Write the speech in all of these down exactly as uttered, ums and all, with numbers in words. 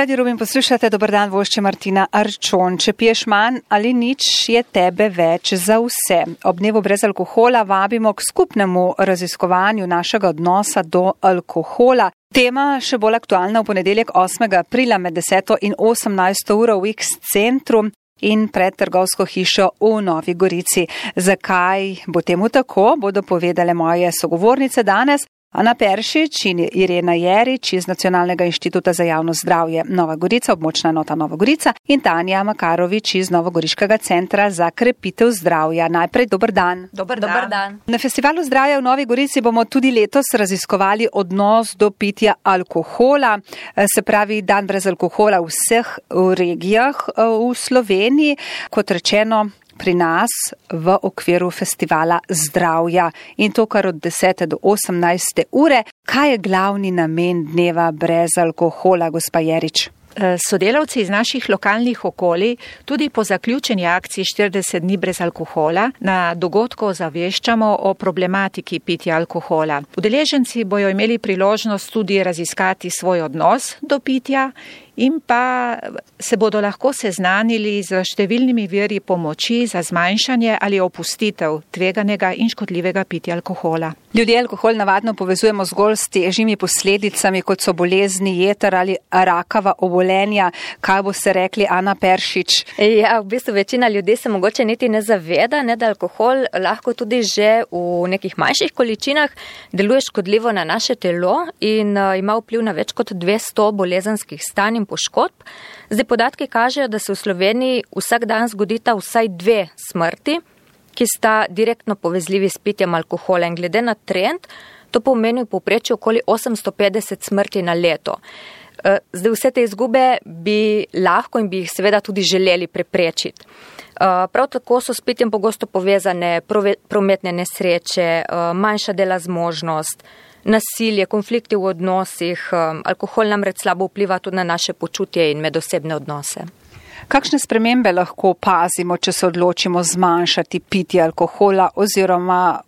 Radio Rubin poslušate, dober dan, vošče Martina Arčon. Če piješ manj ali nič, je tebe več za vse. Ob dnevu brez alkohola vabimo k skupnemu raziskovanju našega odnosa do alkohola. Tema še bolj aktualna v ponedeljek osmega aprila med deseto in osemnajsto uro v X centru in pred trgovsko hišo v Novi Gorici. Zakaj bo temu tako, bodo povedale moje sogovornice danes. Ana Peršič in Irena Jerič iz Nacionalnega inštituta za javno zdravje Nova Gorica, območna enota Nova Gorica in Tanja Makarovič iz Novogoriškega centra za krepitev zdravja. Najprej dober dan. Dober dan. Dober dan. Na Festivalu zdravja v Novi Gorici bomo tudi letos raziskovali odnos do pitja alkohola, se pravi dan brez alkohola v vseh regijah v Sloveniji. Kot rečeno, pri nas v okviru festivala zdravja in to kar od desete do osemnajste ure. Kaj je glavni namen dneva brez alkohola, gospa Jerič? Sodelavci iz naših lokalnih okolij tudi po zaključeni akciji štirideset dni brez alkohola na dogodku ozaveščamo o problematiki pitja alkohola. Udeleženci bojo imeli priložnost tudi raziskati svoj odnos do pitja in pa se bodo lahko seznanili z številnimi viri pomoči za zmanjšanje ali opustitev tveganega in škodljivega pitja alkohola. Ljudje alkohol navadno povezujemo zgolj s težjimi posledicami, kot so bolezni jeter ali rakava obolenja. Kaj boste rekli, Ana Peršič? Ja, v bistvu večina ljudi se mogoče niti ne zaveda, ne, da alkohol lahko tudi že v nekih manjših količinah deluje škodljivo na naše telo in uh, ima vpliv na več kot dvesto bolezenskih stanj in poškodb. Zdaj podatki kažejo, da se v Sloveniji vsak dan zgodita vsaj dve smrti, ki sta direktno povezljivi s pitjem alkohola in glede na trend, to pomeni v povprečju okoli osemsto petdeset smrti na leto. Zdaj vse te izgube bi lahko in bi jih seveda tudi želeli preprečiti. Prav tako so s pitjem pogosto povezane prometne nesreče, manjša dela zmožnost, nasilje, konflikti v odnosih. Alkohol namreč slabo vpliva tudi na naše počutje in medosebne odnose. Kakšne spremembe lahko opazimo, če se odločimo zmanjšati pitje alkohola oziroma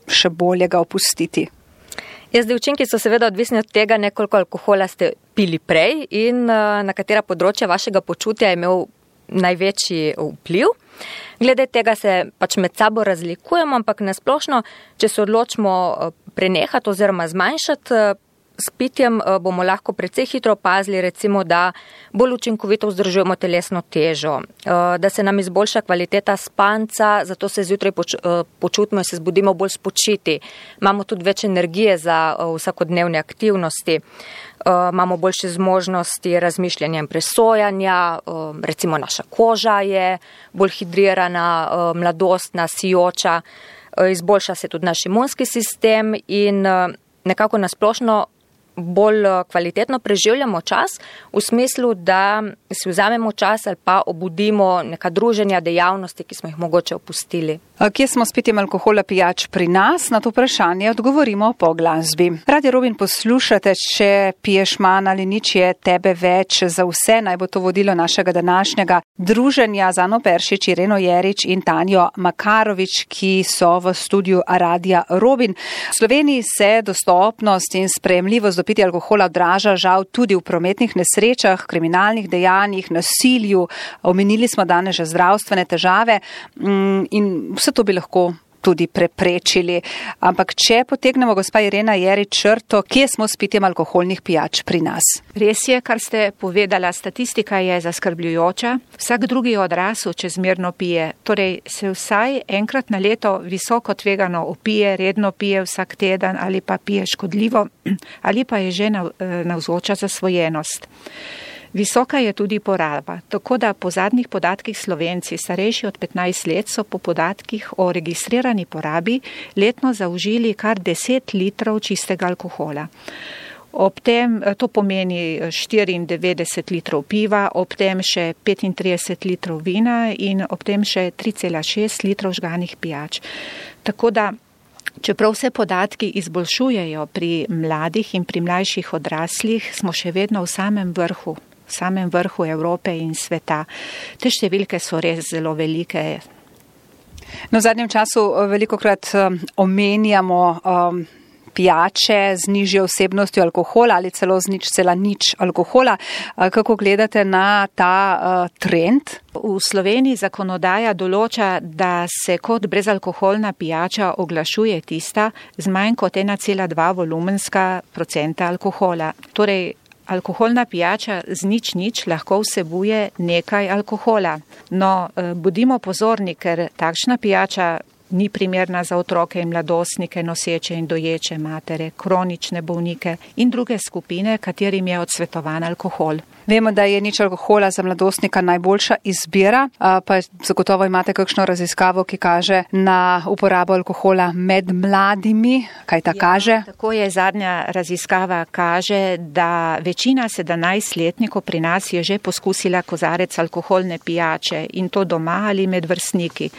še bolje ga opustiti? Ja, zdaj učinki so seveda odvisni od tega, ne koliko alkohola ste pili prej in na katera področja vašega počutja je imel največji vpliv. Glede tega se pač med sabo razlikujemo, ampak nasplošno, če se odločimo prenehati oziroma zmanjšati s pitjem, bomo lahko precej hitro opazili, recimo, da bolj učinkovito vzdržujemo telesno težo, da se nam izboljša kvaliteta spanca, zato se zjutraj poč- počutimo in se zbudimo bolj spočiti. Imamo tudi več energije za vsakodnevne aktivnosti, imamo boljše zmožnosti razmišljanja in presojanja, recimo naša koža je bolj hidrirana, mladostna, sijoča, izboljša se tudi naš imunski sistem in nekako nasplošno bolj kvalitetno preživljamo čas v smislu, da si vzamemo čas ali pa obudimo neka druženja, dejavnosti, ki smo jih mogoče opustili. Kje smo s pitjem alkohola pijač pri nas? Na to vprašanje odgovorimo po glasbi. Radio Rubin poslušate, če piješ manj ali nič, je tebe več za vse. Naj bo to vodilo našega današnjega druženja z Ano Peršič, Ireno Jerič in Tanjo Makarovič, ki so v studiu Radia Rubin. V Sloveniji se dostopnost in sprejemljivost do pitja alkohola odraža žal tudi v prometnih nesrečah, kriminalnih dejanjih, nasilju. Omenili smo danes že zdravstvene težave in vse to bi lahko tudi preprečili. Ampak če potegnemo, gospa Irena Jerič, črto, kje smo s pitjem alkoholnih pijač pri nas? Res je, kar ste povedala, statistika je zaskrbljujoča. Vsak drugi odrasel čezmerno pije, torej se vsaj enkrat na leto visoko tvegano opije, redno pije vsak teden ali pa pije škodljivo ali pa je že navzoča zasvojenost. Visoka je tudi poraba, tako da po zadnjih podatkih Slovenci, starejši od petnajst let, so po podatkih o registrirani porabi letno zaužili kar deset litrov čistega alkohola. Ob tem, to pomeni štiriindevetdeset litrov piva, ob tem še petintrideset litrov vina in ob tem še tri cela šest litrov žganih pijač. Tako da, čeprav se podatki izboljšujejo pri mladih in pri mlajših odraslih, smo še vedno v samem vrhu. v samem vrhu Evrope in sveta. Te številke so res zelo velike. No, v zadnjem času velikokrat um, omenjamo um, pijače z nižjo vsebnostjo alkohola ali celo z nič cela nič alkohola. Kako gledate na ta uh, trend? V Sloveniji zakonodaja določa, da se kot brezalkoholna pijača oglašuje tista z manj kot ena cela dva volumenska procenta alkohola. Torej, alkoholna pijača z nič nič lahko vsebuje nekaj alkohola. No, bodimo pozorni, ker takšna pijača ni primerna za otroke in mladostnike, noseče in doječe matere, kronične bolnike in druge skupine, katerim je odsvetovan alkohol. Vemo, da je nič alkohola za mladostnika najboljša izbira, pa zagotovo imate kakšno raziskavo, ki kaže na uporabo alkohola med mladimi. Kaj ta ja, kaže? Tako je, zadnja raziskava kaže, da večina sedemnajstletnikov pri nas je že poskusila kozarec alkoholne pijače in to doma ali med vrstniki.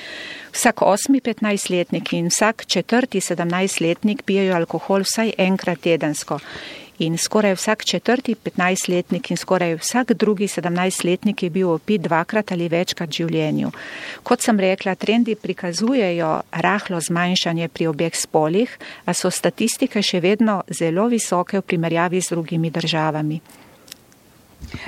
Vsak osmi petnajstletnik in vsak četrti sedemnajstletnik pijejo alkohol vsaj enkrat tedensko. In skoraj vsak četrti petnajstletnik in skoraj vsak drugi sedemnajstletnik je bil opit dvakrat ali večkrat v življenju. Kot sem rekla, trendi prikazujejo rahlo zmanjšanje pri obeh spolih, a so statistike še vedno zelo visoke v primerjavi z drugimi državami.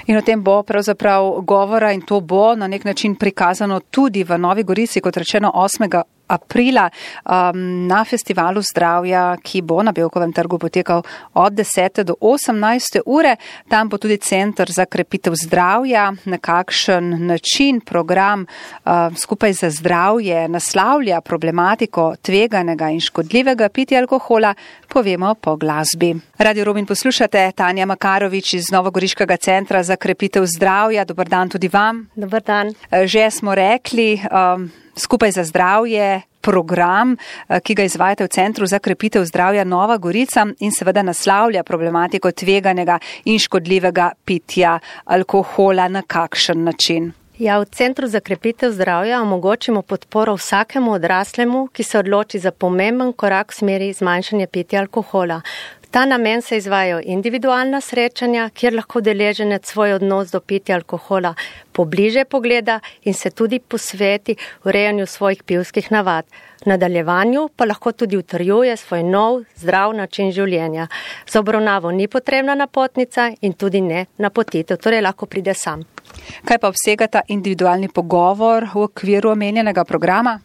In o tem bo pravzaprav govora in to bo na nek način prikazano tudi v Novi Gorici, kot rečeno osmega aprila um, na festivalu zdravja, ki bo na Bevkovem trgu potekal od desete do osemnajste ure. Tam bo tudi Center za krepitev zdravja, na kakšen način program uh, skupaj za zdravje naslavlja problematiko tveganega in škodljivega pitja alkohola, povemo po glasbi. Radio Robin poslušate, Tanja Makarovič iz Novogoriškega centra za krepitev zdravja. Dobar dan tudi vam. Dobar dan. Že smo rekli, um, skupaj za zdravje, program, ki ga izvajate v Centru za krepitev zdravja Nova Gorica in seveda naslavlja problematiko tveganega in škodljivega pitja alkohola. Na kakšen način? Ja, v Centru za krepitev zdravja omogočimo podporo vsakemu odraslemu, ki se odloči za pomemben korak v smeri zmanjšanja pitja alkohola. V ta namen se izvajajo individualna srečanja, kjer lahko deleženec svoj odnos do pitja alkohola pobliže pogleda in se tudi posveti urejanju svojih pivskih navad. V nadaljevanju pa lahko tudi utrjuje svoj nov, zdrav način življenja. Za obravnavo ni potrebna napotnica in tudi ne napotitev, torej lahko pride sam. Kaj pa obsega ta individualni pogovor v okviru omenjenega programa?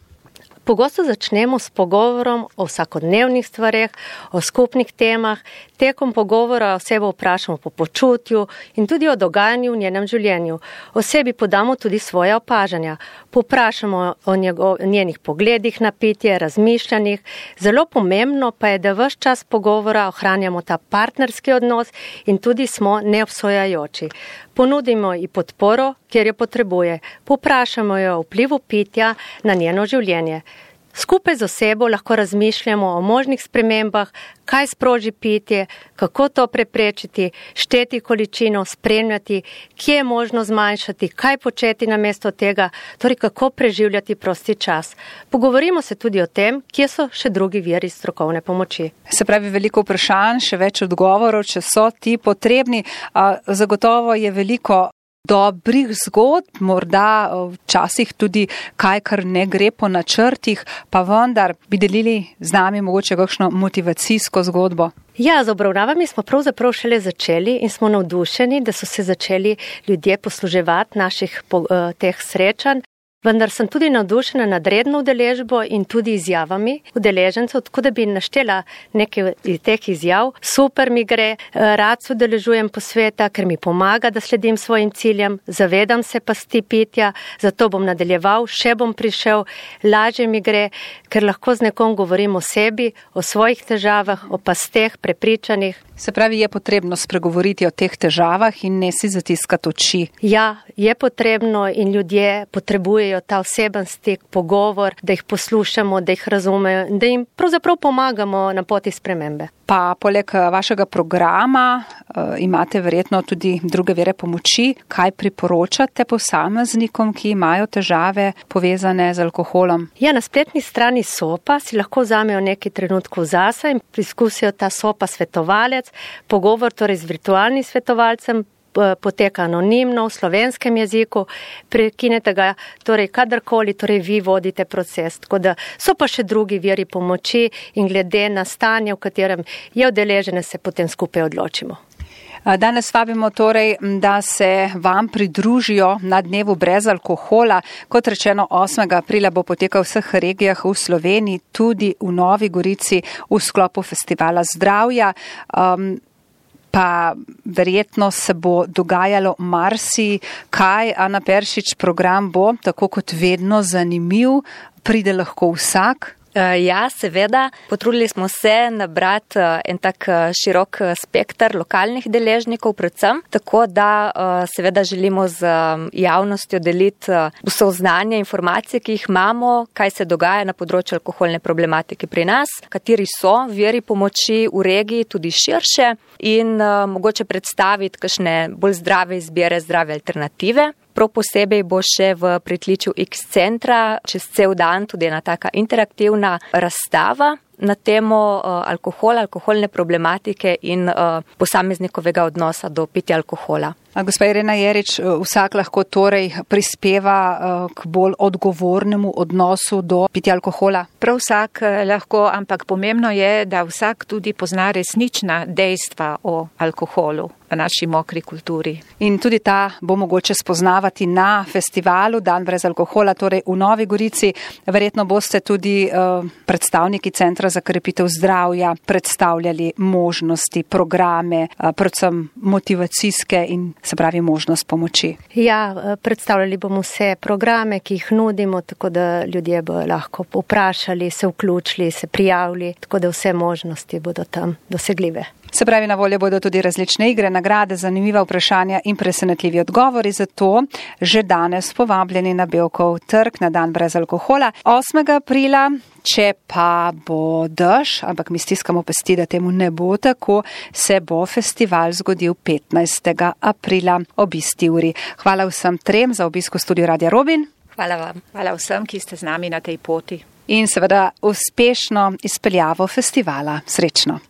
Pogosto začnemo s pogovorom o vsakodnevnih stvareh, o skupnih temah. Tekom pogovora osebo vprašamo po počutju in tudi o dogajanju v njenem življenju. Osebi podamo tudi svoje opažanja. Poprašamo o njegov, njenih pogledih na pitje, razmišljanjih. Zelo pomembno pa je, da ves čas pogovora ohranjamo ta partnerski odnos in tudi smo neobsojajoči. Ponudimo ji podporo, kjer jo potrebuje. Poprašamo jo o vplivu pitja na njeno življenje. Skupaj z osebo lahko razmišljamo o možnih spremembah, kaj sproži pitje, kako to preprečiti, šteti količino, spremljati, kje je možno zmanjšati, kaj početi namesto tega, torej kako preživljati prosti čas. Pogovorimo se tudi o tem, kje so še drugi viri strokovne pomoči. Se pravi, veliko vprašanj, še več odgovorov, če so ti potrebni. Zagotovo je veliko dobrih zgodb, morda včasih tudi kaj, kar ne gre po načrtih, pa vendar bi delili z nami mogoče kakšno motivacijsko zgodbo. Ja, z obravnavami smo pravzaprav šele začeli in smo navdušeni, da so se začeli ljudje posluževati naših teh srečanj. Vendar sem tudi navdušena nad redno udeležbo in tudi izjavami udeležencev, tako da bi naštela nekaj teh izjav. Super mi gre, rad se udeležujem posveta, ker mi pomaga, da sledim svojim ciljem, zavedam se pasti pitja, zato bom nadaljeval, še bom prišel, lažje mi gre, ker lahko z nekom govorim o sebi, o svojih težavah, o pasteh, prepričanjih. Se pravi, je potrebno spregovoriti o teh težavah in ne si zatiskati oči. Ja, je potrebno in ljudje potrebujejo ta oseben stik, pogovor, da jih poslušamo, da jih razumejo, da jim pravzaprav pomagamo na poti spremembe. Pa poleg vašega programa uh, imate verjetno tudi druge vire pomoči. Kaj priporočate posameznikom, ki imajo težave povezane z alkoholom? Ja, na spletni strani SOPA si lahko vzamejo nekaj trenutkov zase in preizkusijo ta SOPA svetovalec, pogovor torej z virtualnim svetovalcem, poteka anonimno v slovenskem jeziku, prekinete ga, torej kadarkoli, torej vi vodite proces. Tako da so pa še drugi viri pomoči in glede na stanje, v katerem je udeležene, se potem skupaj odločimo. Danes vabimo torej, da se vam pridružijo na dnevu brez alkohola. Kot rečeno, osmega aprila bo potekal v vseh regijah v Sloveniji, tudi v Novi Gorici v sklopu Festivala zdravja. Um, pa verjetno se bo dogajalo marsi kaj. Ana Peršič, program bo, tako kot vedno, zanimiv. Pride lahko vsak. Ja, seveda. Potrudili smo se nabrati en tak širok spektr lokalnih deležnikov predvsem, tako da seveda želimo z javnostjo deliti vso znanje, informacije, ki jih imamo, kaj se dogaja na področju alkoholne problematike pri nas, kateri so viri pomoči v regiji, tudi širše, in mogoče predstaviti kakšne bolj zdrave izbire, zdrave alternative. Prav posebej bo še v pritličju X centra čez cel dan tudi ena taka interaktivna razstava na temo uh, alkohola, alkoholne problematike in uh, posameznikovega odnosa do pitja alkohola. Gospa Irena Jerič, vsak lahko torej prispeva uh, k bolj odgovornemu odnosu do pitja alkohola? Prav vsak lahko, ampak pomembno je, da vsak tudi pozna resnična dejstva o alkoholu v naši mokri kulturi. In tudi ta bo mogoče spoznavati na festivalu Dan brez alkohola, torej v Novi Gorici. Verjetno boste tudi uh, predstavniki Centra za krepitev zdravja predstavljali možnosti, programe, predvsem motivacijske in se pravi možnost pomoči. Ja, predstavljali bomo vse programe, ki jih nudimo, tako da ljudje bo lahko vprašali, se vključili, se prijavili, tako da vse možnosti bodo tam dosegljive. Se pravi, na voljo bodo tudi različne igre, nagrade, zanimiva vprašanja in presenetljivi odgovori, zato že danes povabljeni na Bevkov trg na Dan brez alkohola. osmega aprila, če pa bo dež, ampak mi stiskamo pesti, da temu ne bo tako, se bo festival zgodil petnajstega aprila ob isti uri. Hvala vsem trem za obisk v studiu Radia Robin. Hvala vam. Hvala vsem, ki ste z nami na tej poti. In seveda uspešno izpeljavo festivala. Srečno.